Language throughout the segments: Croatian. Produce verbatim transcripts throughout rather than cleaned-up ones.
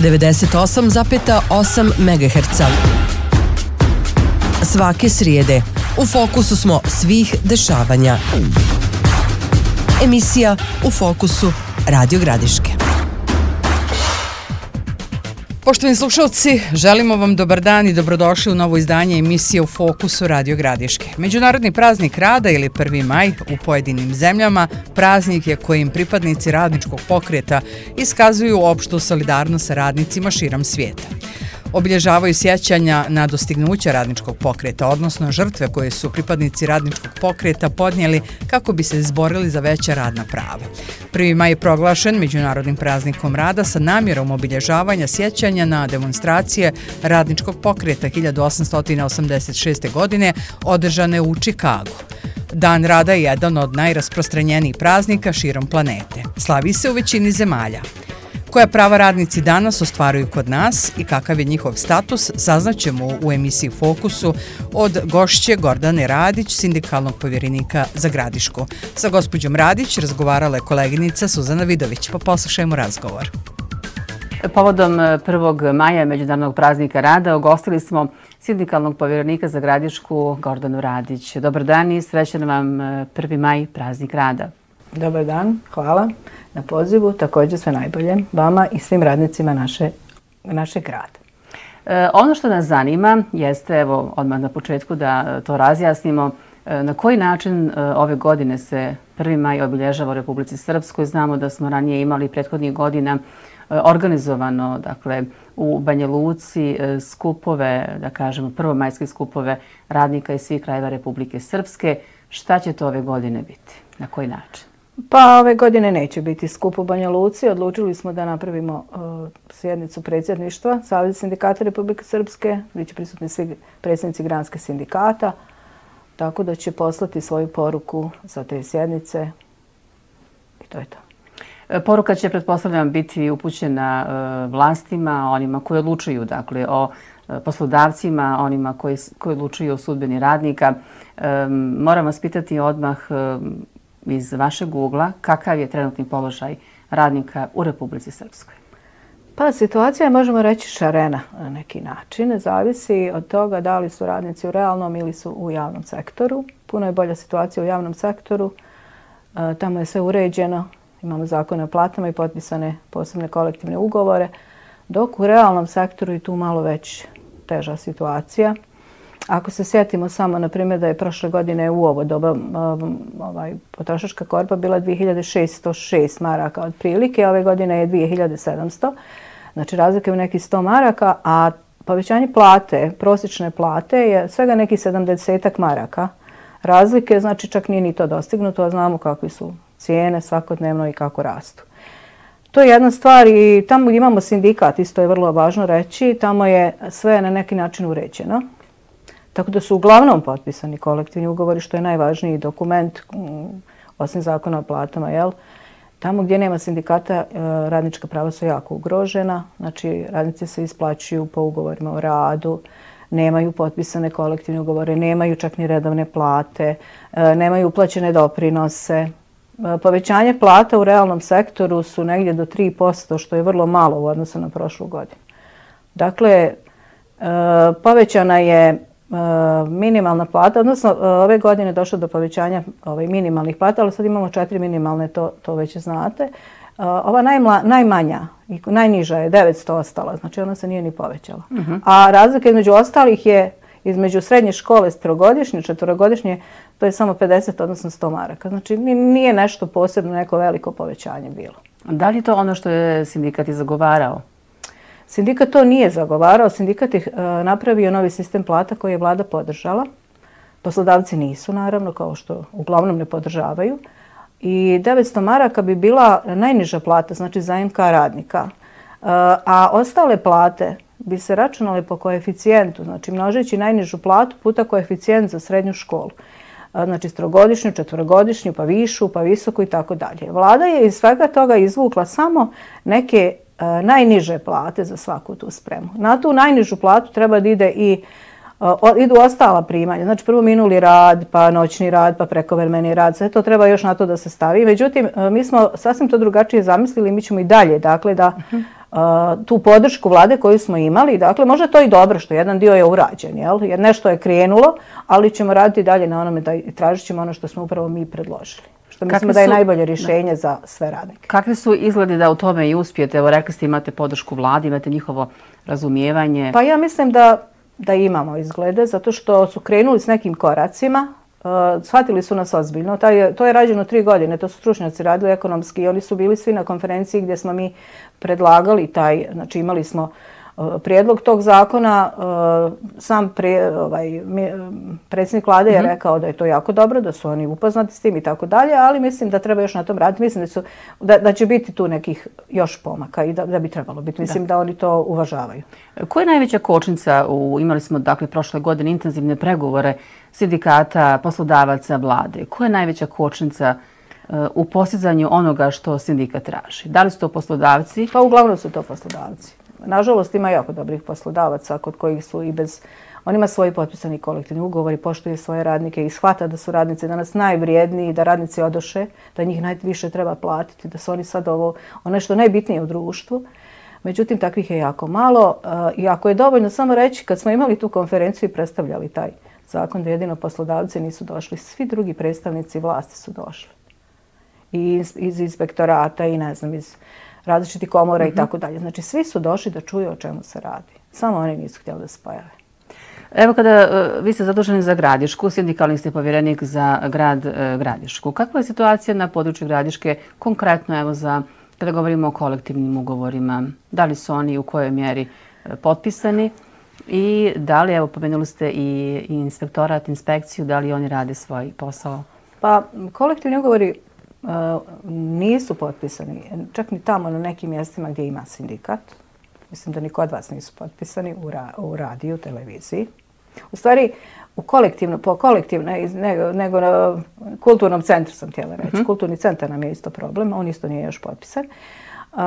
devedeset osam zarez osam megaherca. Svake srijede u fokusu smo svih dešavanja. Emisija U fokusu Radio Gradiške. Poštovani slušalci, želimo vam dobar dan i dobrodošli u novo izdanje emisije U fokusu Radio Gradiške. Međunarodni praznik rada ili prvi maj u pojedinim zemljama praznik je kojim pripadnici radničkog pokreta iskazuju opštu solidarnost sa radnicima širom svijeta. Obilježavaju sjećanja na dostignuća radničkog pokreta, odnosno žrtve koje su pripadnici radničkog pokreta podnijeli kako bi se izborili za veća radna prava. prvi maj je proglašen Međunarodnim praznikom rada sa namjerom obilježavanja sjećanja na demonstracije radničkog pokreta hiljadu osamsto osamdeset šeste. godine održane u Čikagu. Dan rada je jedan od najrasprostranjenijih praznika širom planete. Slavi se u većini zemalja. Koja prava radnici danas ostvaruju kod nas i kakav je njihov status, saznaćemo u emisiji Fokusu od gošće Gordane Radić, sindikalnog povjerenika za Gradišku. Sa gospođom Radić razgovarala je koleginica Suzana Vidović, pa poslušajmo razgovor. Povodom prvog maja Međunarodnog praznika rada ugostili smo sindikalnog povjerenika za Gradišku Gordanu Radić. Dobar dan i srećan vam prvi maj, praznik rada. Dobar dan, hvala na pozivu, također sve najbolje vama i svim radnicima naše, našeg grada. E, ono što nas zanima jeste, evo odmah na početku da to razjasnimo, e, na koji način e, ove godine se prvi maj obilježava u Republici Srpskoj. Znamo da smo ranije imali prethodnih godina e, organizovano, dakle, u Banja Luci e, skupove, da kažemo prvomajske skupove radnika iz svih krajeva Republike Srpske. Šta će to ove godine biti? Na koji način? Pa ove godine neće biti skup u Banja Luci. Odlučili smo da napravimo uh, sjednicu predsjedništva Saveza sindikata Republike Srpske, gdje će prisutni svi predsjednici granskih sindikata, tako da će poslati svoju poruku sa te sjednice i to je to. Poruka će, pretpostavljam, biti upućena uh, vlastima, onima koji odlučuju, dakle, o uh, poslodavcima, onima koji, koji odlučuju o sudbini radnika. Um, moram vas pitati odmah um, iz vašeg ugla, kakav je trenutni položaj radnika u Republici Srpskoj? Pa situacija je, možemo reći, šarena na neki način. Zavisi od toga da li su radnici u realnom ili su u javnom sektoru. Puno je bolja situacija u javnom sektoru. E, tamo je sve uređeno. Imamo zakone o platama i potpisane posebne kolektivne ugovore. Dok u realnom sektoru je tu malo već teža situacija. Ako se sjetimo samo, na primjer, da je prošle godine u ovo doba um, ovaj, potrošačka korpa bila dvije hiljade šesto šest maraka otprilike, ove godine je dvije hiljade sedamsto. Znači razlika je u nekih sto maraka, a povećanje plate, prosječne plate je svega nekih sedamdeset maraka. Razlike, znači čak nije ni to dostignuto, a znamo kakve su cijene svakodnevno i kako rastu. To je jedna stvar i tamo gdje imamo sindikat, isto je vrlo važno reći, tamo je sve na neki način uređeno. Tako da su uglavnom potpisani kolektivni ugovori, što je najvažniji dokument, osim zakona o platama. Jel? Tamo gdje nema sindikata, radnička prava su jako ugrožena. Znači, radnici se isplaćuju po ugovorima o radu, nemaju potpisane kolektivne ugovore, nemaju čak ni redovne plate, nemaju uplaćene doprinose. Povećanje plata u realnom sektoru su negdje do tri posto, što je vrlo malo u odnosu na prošlu godinu. Dakle, povećana je minimalna plata, odnosno ove godine je došlo do povećanja ovaj, minimalnih plata, ali sad imamo četiri minimalne, to, to već znate. Ova najmla, najmanja i najniža je devetsto ostala, znači ona se nije ni povećala. Uh-huh. A razlika između ostalih je između srednje škole, trogodišnje, četvorogodišnje, to je samo pedeset, odnosno sto maraka. Znači nije nešto posebno, neko veliko povećanje bilo. Da li je to ono što je sindikat i zagovarao? Sindikat to nije zagovarao, sindikat je uh, napravio novi sistem plata koji je vlada podržala. Poslodavci nisu, naravno, kao što uglavnom ne podržavaju. I devetsto maraka bi bila najniža plata, znači za M K radnika. Uh, a ostale plate bi se računale po koeficijentu, znači množeći najnižu platu puta koeficijent za srednju školu. Uh, znači trogodišnju, četvorogodišnju, pa višu, pa visoku i tako dalje. Vlada je iz svega toga izvukla samo neke najniže plate za svaku tu spremu. Na tu najnižu platu treba da ide i uh, idu ostala primanja. Znači prvo minuli rad, pa noćni rad, pa prekovremeni rad. Sve to treba još na to da se stavi. Međutim, uh, mi smo sasvim to drugačije zamislili. Mi ćemo i dalje, dakle, da tu podršku vlade koju smo imali. Dakle, možda to i dobro što jedan dio je urađen, jel? Jer nešto je krenulo, ali ćemo raditi dalje na onome da tražit ćemo ono što smo upravo mi predložili. Što mislimo da je najbolje rješenje za sve radnike. Kakvi su izgledi da u tome i uspijete? Evo, rekli ste imate podršku vladi, imate njihovo razumijevanje. Pa ja mislim da, da imamo izglede, zato što su krenuli s nekim koracima. Uh, shvatili su nas ozbiljno. Taj, to je rađeno tri godine, to su stručnjaci radili ekonomski i oni su bili svi na konferenciji gdje smo mi predlagali taj, znači imali smo uh, prijedlog tog zakona. Uh, sam pre, ovaj, mi, predsjednik vlade je rekao da je to jako dobro, da su oni upoznati s tim i tako dalje, ali mislim da treba još na tom raditi. Mislim da, su, da, da će biti tu nekih još pomaka i da, da bi trebalo biti. Mislim da. da oni to uvažavaju. Koja je najveća kočnica? U, imali smo dakle prošle godine intenzivne pregovore sindikata, poslodavaca, vlade. Koja je najveća kočnica uh, u postizanju onoga što sindikat traži? Da li su to poslodavci? Pa uglavnom su to poslodavci. Nažalost, ima jako dobrih poslodavaca kod kojih su i bez... On ima svoji potpisani kolektivni ugovor i poštuje svoje radnike i shvata da su radnici danas najvrijedniji, da radnici odoše, da njih najviše treba platiti, da su oni sad ovo, ono što je najbitnije u društvu. Međutim, takvih je jako malo uh, i ako je dovoljno samo reći, kad smo imali tu konferenciju i predstavljali taj zakon da jedino poslodavci nisu došli, svi drugi predstavnici vlasti su došli. I iz, iz inspektorata i ne znam, iz različitih komora mm-hmm. i tako dalje. Znači, svi su došli da čuju o čemu se radi. Samo oni nisu htjeli da se pojave. Evo kada uh, vi ste zaduženi za Gradišku, sindikalni ste povjerenik za grad uh, Gradišku. Kakva je situacija na području Gradiške, konkretno evo za, kada govorimo o kolektivnim ugovorima? Da li su oni u kojoj mjeri uh, potpisani? I da li, evo, pomenuli ste i inspektorat, inspekciju, da li oni rade svoj posao? Pa, kolektivni ugovori uh, nisu potpisani, čak ni tamo na nekim mjestima gdje ima sindikat. Mislim da ni kod vas nisu potpisani u, ra, u radiju, televiziji. U stvari, u kolektivno, po kolektivno, nego, nego na kulturnom centru sam htjela reći. Mm-hmm. Kulturni centar nam je isto problem, on isto nije još potpisan. Uh,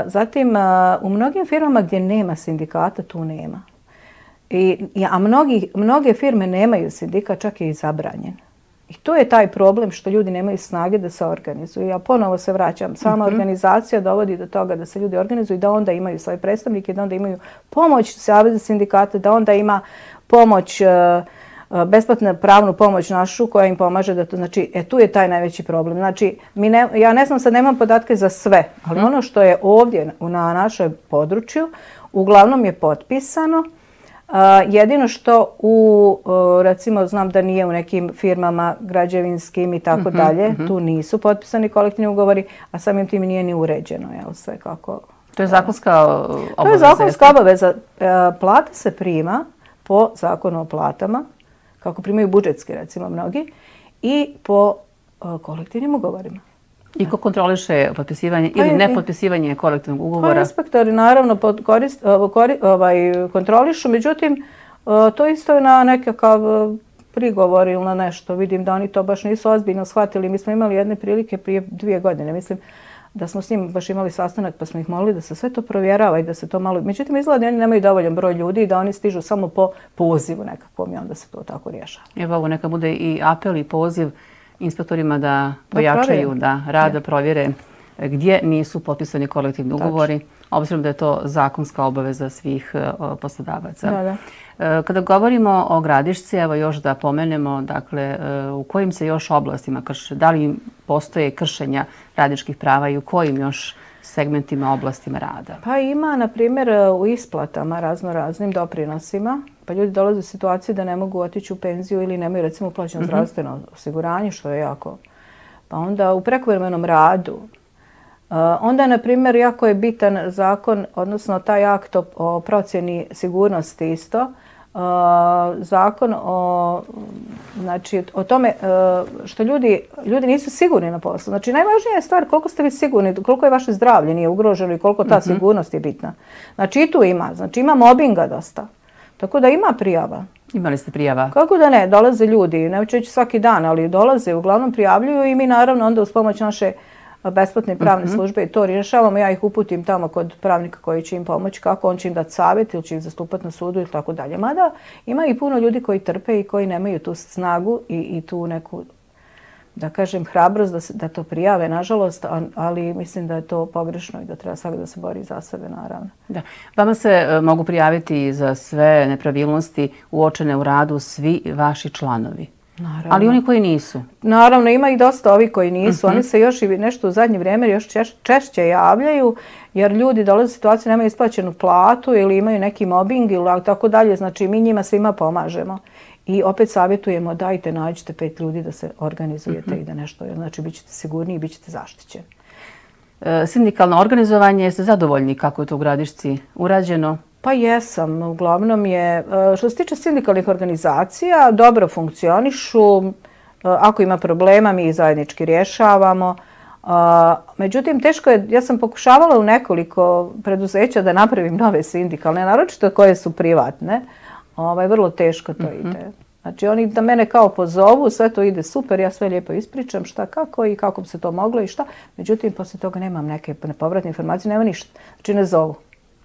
zatim, uh, u mnogim firmama gdje nema sindikata, tu nema. I, a mnogi, mnoge firme nemaju sindikat, čak je i zabranjen. I to je taj problem što ljudi nemaju snage da se organizuju. Ja ponovo se vraćam, sama mm-hmm. organizacija dovodi do toga da se ljudi organizuju i da onda imaju svoje predstavnike, da onda imaju pomoć Saveza sindikata, da onda ima pomoć, besplatnu pravnu pomoć našu koja im pomaže da to, znači, e, tu je taj najveći problem. Znači, mi ne, ja ne znam, sad nemam podatke za sve, ali mm-hmm. ono što je ovdje na našem području, uglavnom je potpisano. Uh, jedino što u, uh, recimo, znam da nije u nekim firmama građevinskim i tako mm-hmm, dalje, mm-hmm. tu nisu potpisani kolektivni ugovori, a samim tim nije ni uređeno, jel, sve kako... To je zakonska obaveza? To je zakonska obaveza. Uh, plata se prima po zakonu o platama, kako primaju budžetski, recimo, mnogi, i po uh, kolektivnim ugovorima. I ko kontroliše potpisivanje ili nepotpisivanje kolektivnog ugovora? Pa inspektori naravno korist, korist, ovaj, kontrolišu, međutim to isto je na nekakav prigovor ili na nešto. Vidim da oni to baš nisu ozbiljno shvatili. Mi smo imali jedne prilike prije dvije godine, mislim, da smo s njim baš imali sastanak pa smo ih molili da se sve to provjerava i da se to malo... Međutim, izgleda da oni nemaju dovoljan broj ljudi i da oni stižu samo po pozivu nekakvom i onda se to tako rješava. Evo ovo neka bude i apel i poziv inspektorima da pojačaju, da, da rade, da provjere gdje nisu potpisani kolektivni ugovori, obzirom da je to zakonska obaveza svih uh, poslodavaca. Da, da. Uh, kada govorimo o Gradišci, evo još da pomenemo, dakle, uh, u kojim se još oblastima krše, da li postoje kršenja radničkih prava i u kojim još segmentima, oblastima rada? Pa ima, na primjer, u isplatama razno raznim doprinosima. Pa ljudi dolaze u situaciju da ne mogu otići u penziju ili nemaju, recimo, uplaćeno mm-hmm. zdravstveno osiguranje, što je jako. Pa onda u prekovremenom radu. Uh, onda, na primjer, jako je bitan zakon, odnosno taj akt o, o procjeni sigurnosti isto. Uh, zakon o, znači, o tome uh, što ljudi, ljudi nisu sigurni na poslu. Znači, najvažnija je stvar koliko ste vi sigurni, koliko je vaše zdravlje nije ugroženo i koliko ta mm-hmm. sigurnost je bitna. Znači, i tu ima. Znači, ima mobinga dosta. Tako da ima prijava. Imali ste prijava? Kako da ne, dolaze ljudi, neću reći svaki dan, ali dolaze, uglavnom prijavljuju i mi naravno onda uz pomoć naše besplatne pravne mm-hmm. službe i to rješavamo. Ja ih uputim tamo kod pravnika koji će im pomoći kako, on će im dati savjet ili će ih zastupati na sudu ili tako dalje. Mada ima i puno ljudi koji trpe i koji nemaju tu snagu i, i tu neku da kažem, hrabrost da, se, da to prijave, nažalost, ali mislim da je to pogrešno i da treba svaki da se bori za sebe, naravno. Da. Vama se uh, mogu prijaviti za sve nepravilnosti uočene u radu svi vaši članovi. Naravno. Ali oni koji nisu? Naravno, ima i dosta ovi koji nisu. Uh-huh. Oni se još i nešto u zadnje vrijeme još češ, češće javljaju, jer ljudi dolaze u situaciju, nemaju isplaćenu platu ili imaju neki mobbing ili tako dalje. Znači, mi njima svima pomažemo. I opet savjetujemo, dajte, nađite pet ljudi da se organizujete uh-huh. i da nešto, znači, bit ćete sigurniji i bit ćete zaštićeni. E, sindikalno organizovanje, jeste zadovoljni kako je to u Gradišci urađeno? Pa jesam. Uglavnom je, što se tiče sindikalnih organizacija, dobro funkcionišu. Ako ima problema, mi ih zajednički rješavamo. Međutim, teško je, ja sam pokušavala u nekoliko preduzeća da napravim nove sindikalne, naročito koje su privatne. Ovaj, vrlo teško to mm-hmm. ide. Znači, oni da mene kao pozovu, sve to ide super, ja sve lijepo ispričam šta, kako i kako bi se to moglo i šta. Međutim, poslije toga nemam neke povratne informacije, nema ništa. Znači, ne zovu.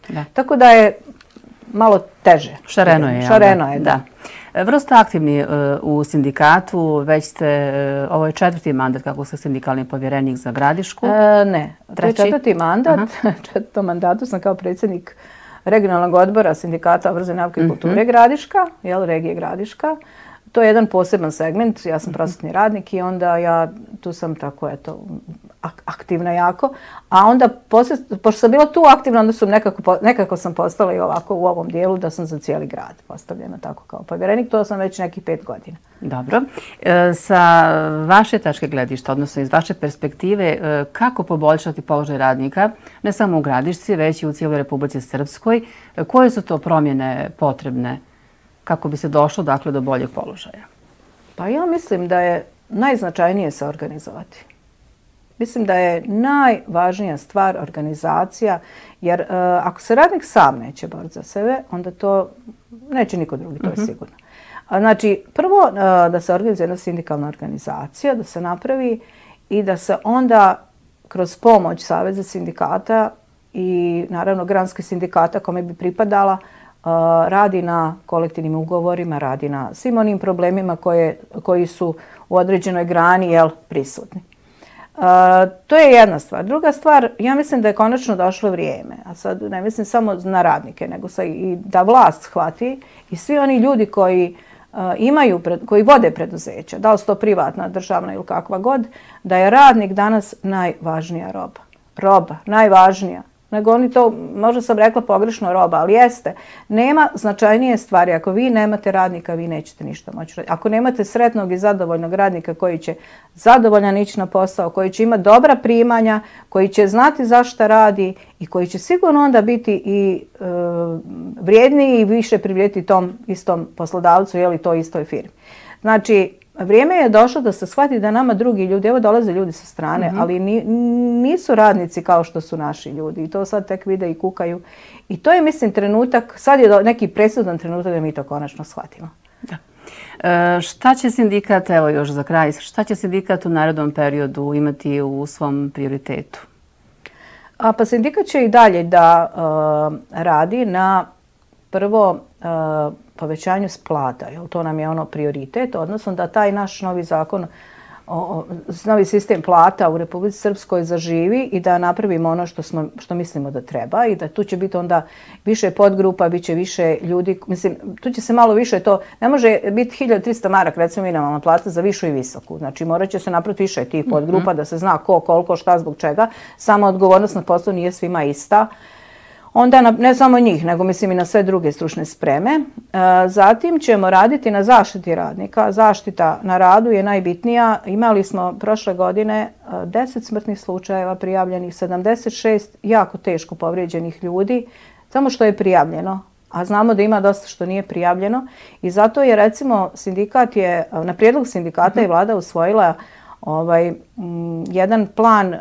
Da. Tako da je malo teže. Šareno je. Šareno je, da. da. Vrlo ste aktivni uh, u sindikatu, već ste, uh, ovo je četvrti mandat kako ste sindikalni povjerenik za Gradišku. E, ne, treći? To je četvrti mandat. Četvrtom mandatu sam kao predsjednik regionalnog odbora sindikata obrazovne nauke i kulture mm-hmm. Gradiška, jel, regije Gradiška. To je jedan poseban segment, ja sam prosvetni radnik i onda ja tu sam tako, eto, aktivna jako. A onda, poslije, pošto sam bila tu aktivna, onda sam nekako, nekako sam postala i ovako u ovom dijelu da sam za cijeli grad postavljena tako kao povjerenik. To sam već nekih pet godina. Dobro. E, sa vaše tačke gledišta, odnosno iz vaše perspektive, e, kako poboljšati položaj radnika, ne samo u Gradišci, već i u cijeloj Republici Srpskoj? E, koje su to promjene potrebne kako bi se došlo, dakle, do boljeg položaja? Pa ja mislim da je najznačajnije se organizovati. Mislim da je najvažnija stvar organizacija, jer uh, ako se radnik sam neće boriti za sebe, onda to neće niko drugi, to je uh-huh. sigurno. A, znači, prvo uh, da se organizuje jedna sindikalna organizacija, da se napravi i da se onda kroz pomoć Saveza sindikata i naravno granskih sindikata kome bi pripadala, Uh, radi na kolektivnim ugovorima, radi na svim onim problemima koje, koji su u određenoj grani jel, prisutni. Uh, to je jedna stvar. Druga stvar, ja mislim da je konačno došlo vrijeme, a sad ne mislim samo na radnike, nego sa i da vlast shvati i svi oni ljudi koji uh, imaju, koji vode preduzeća, da li su to privatna, državna ili kakva god, da je radnik danas najvažnija roba. Roba, najvažnija. Nego oni to, možda sam rekla pogrešno roba, ali jeste. Nema značajnije stvari. Ako vi nemate radnika, vi nećete ništa moći raditi. Ako nemate sretnog i zadovoljnog radnika koji će zadovoljan ići na posao, koji će imati dobra primanja, koji će znati zašto radi i koji će sigurno onda biti i e, vrijedniji i više privrijeti tom istom poslodavcu ili toj istoj firmi. Znači, vrijeme je došlo da se shvati da nama drugi ljudi, evo dolaze ljudi sa strane, mm-hmm. ali ni, nisu radnici kao što su naši ljudi i to sad tek vide i kukaju. I to je, mislim, trenutak, sad je neki presudan trenutak da mi to konačno shvatimo. Da. E, šta će sindikat, evo još za kraj, šta će sindikat u narednom periodu imati u svom prioritetu? A, pa sindikat će i dalje da uh, radi na prvo uh, povećanju plata, jel to nam je ono prioritet, odnosno da taj naš novi zakon, o, novi sistem plata u Republici Srpskoj zaživi i da napravimo ono što, smo, što mislimo da treba i da tu će biti onda više podgrupa, bit će više ljudi, mislim, tu će se malo više to, ne može biti hiljadu trista maraka, recimo minimalna plata za višu i visoku, znači morat će se napraviti više tih podgrupa mm-hmm. da se zna ko, koliko, šta, zbog čega, sama odgovornost na poslu nije svima ista. Onda na, ne samo njih, nego mislim i na sve druge stručne spreme. E, zatim ćemo raditi na zaštiti radnika. Zaštita na radu je najbitnija. Imali smo prošle godine deset smrtnih slučajeva prijavljenih, sedamdeset šest jako teško povrijeđenih ljudi, samo što je prijavljeno. A znamo da ima dosta što nije prijavljeno. I zato je, recimo, sindikat je, na prijedlog sindikata je vlada usvojila Ovaj, m, jedan plan uh,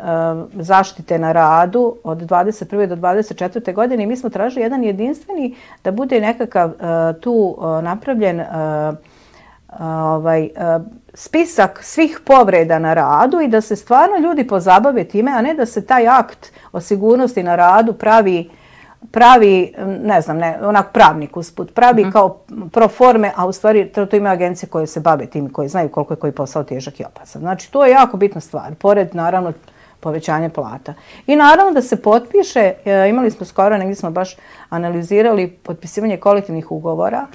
zaštite na radu od dvadeset prve do dvadeset četvrte godine i mi smo tražili jedan jedinstveni da bude nekakav uh, tu uh, napravljen uh, uh, ovaj, uh, spisak svih povreda na radu i da se stvarno ljudi pozabave time, a ne da se taj akt o sigurnosti na radu pravi pravi, ne znam, ne, onak pravnik usput, pravi uh-huh. kao pro forme, a u stvari to, to ima agencije koje se bave tim, koje znaju koliko je koji posao težak i opasan. Znači, to je jako bitna stvar, pored, naravno, povećanje plata. I naravno da se potpiše, imali smo skoro, negdje smo baš analizirali potpisivanje kolektivnih ugovora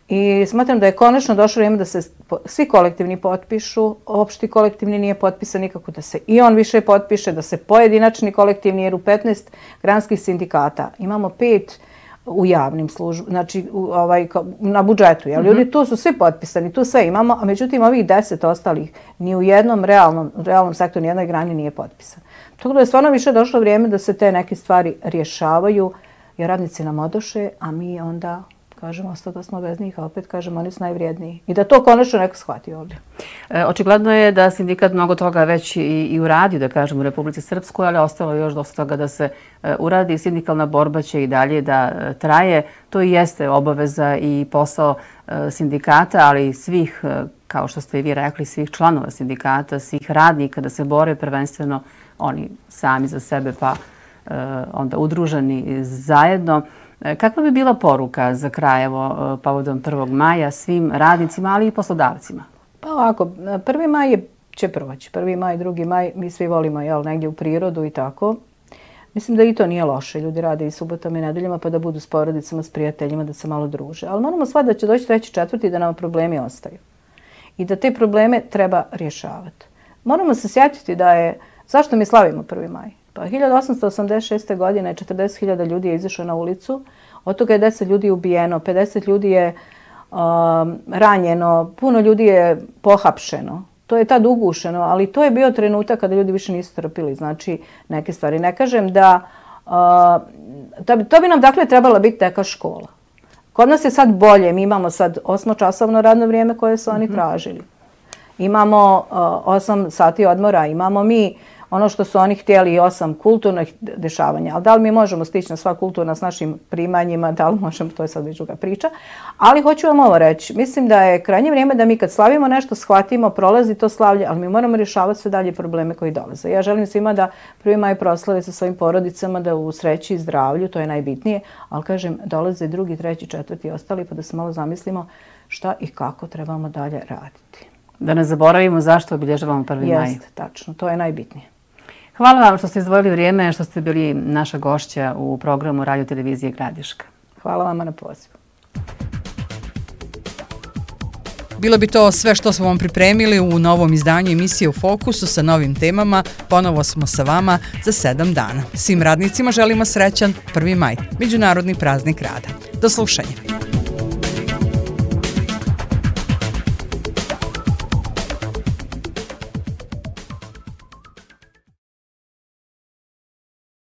i smatram da je konačno došlo vrijeme da se svi kolektivni potpišu, opšti kolektivni nije potpisan nikako, da se i on više potpiše, da se pojedinačni kolektivni, jer u petnaest granskih sindikata imamo pet u javnim službama, znači u, ovaj, na budžetu. Jel? Ljudi tu su svi potpisani, tu sve imamo, a međutim ovih deset ostalih ni u jednom realnom, realnom sektoru, ni jednoj grani nije potpisan. Tako da je stvarno više došlo vrijeme da se te neke stvari rješavaju, jer radnici nam odoše, a mi onda kažemo, ostao da smo bez njih, a opet kažemo, oni su najvrijedniji. I da to konačno neko shvati ovdje. E, očigledno je da sindikat mnogo toga već i, i uradi, da kažem, u Republici Srpskoj, ali ostalo je još dosta toga da se e, uradi. Sindikalna borba će i dalje da e, traje. To i jeste obaveza i posao e, sindikata, ali i svih, e, kao što ste i vi rekli, svih članova sindikata, svih radnika, da se bore prvenstveno oni sami za sebe, pa e, onda udruženi zajedno. Kakva bi bila poruka za kraj, evo, povodom prvog maja svim radnicima, ali i poslodavcima? Pa ovako, prvi maj je, će proći. prvi maj, drugi maj, mi svi volimo, jel, negdje u prirodu i tako. Mislim da i to nije loše. Ljudi rade i subotama i nedeljama pa da budu s porodicama, s prijateljima, da se malo druže. Ali moramo shvatiti da će doći treći, četvrti i da nam problemi ostaju. I da te probleme treba rješavati. Moramo se sjetiti da je, zašto mi slavimo prvi maj? Pa hiljadu osamsto osamdeset šeste. godine četrdeset hiljada ljudi je izašlo na ulicu, od toga je deset ljudi ubijeno, pedeset ljudi je um, ranjeno, puno ljudi je pohapšeno. To je tad ugušeno, ali to je bio trenutak kada ljudi više nisu trpili, znači neke stvari. Ne kažem da, uh, to, bi, to bi nam dakle trebala biti neka škola. Kod nas je sad bolje, mi imamo sad osmočasovno radno vrijeme koje su oni tražili. Imamo uh, osam sati odmora, imamo mi ono što su oni htjeli i osam kulturnih dešavanja. Ali da li mi možemo stići na sva kulturna s našim primanjima, da li možemo, to je sad već druga priča. Ali hoću vam ovo reći, mislim da je krajnje vrijeme da mi kad slavimo nešto, shvatimo, prolazi to slavlje, ali mi moramo rješavati sve dalje probleme koji dolaze. Ja želim svima da prvi maj proslave sa svojim porodicama, da u sreći i zdravlju, to je najbitnije, ali kažem, dolaze drugi, treći, četvrti i ostali, pa da se malo zamislimo šta i kako trebamo dalje raditi. Da ne zaboravimo zašto obilježavamo prvi maj. Jeste, tačno, to je najbitnije. Hvala vam što ste izdvojili vrijeme, što ste bili naša gošća u programu Radio Televizije Gradiška. Hvala vama na pozivu. Bilo bi to sve što smo vam pripremili u novom izdanju emisije U fokusu sa novim temama. Ponovo smo sa vama za sedam dana. Svim radnicima želimo srećan prvi maj, Međunarodni praznik rada. Do slušanja.